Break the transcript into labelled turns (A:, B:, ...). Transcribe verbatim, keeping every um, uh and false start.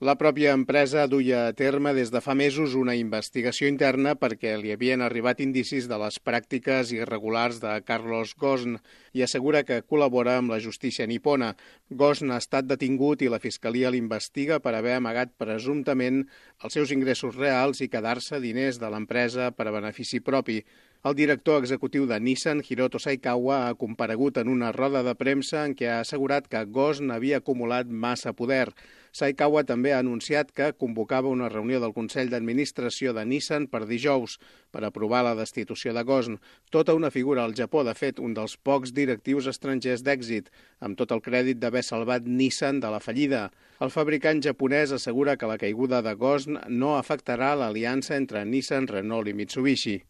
A: La pròpia empresa duia a terme des de fa mesos una investigació interna perquè li havien arribat indicis de les pràctiques irregulars de Carlos Ghosn i assegura que col·labora amb la justícia nipona. Ghosn ha estat detingut i la Fiscalia l'investiga per haver amagat presumptament els seus ingressos reals i quedar-se diners de l'empresa per a benefici propi. El director executiu de Nissan, Hiroto Saikawa, ha comparegut en una roda de premsa en què ha assegurat que Ghosn havia acumulat massa poder. Saikawa també ha anunciat que convocava una reunió del Consell d'Administració de Nissan per dijous per aprovar la destitució de Ghosn, tota una figura al Japó, de fet, un dels pocs directius estrangers d'èxit, amb tot el crèdit d'haver salvat Nissan de la fallida. El fabricant japonès assegura que la caiguda de Ghosn no afectarà l'aliança entre Nissan, Renault i Mitsubishi.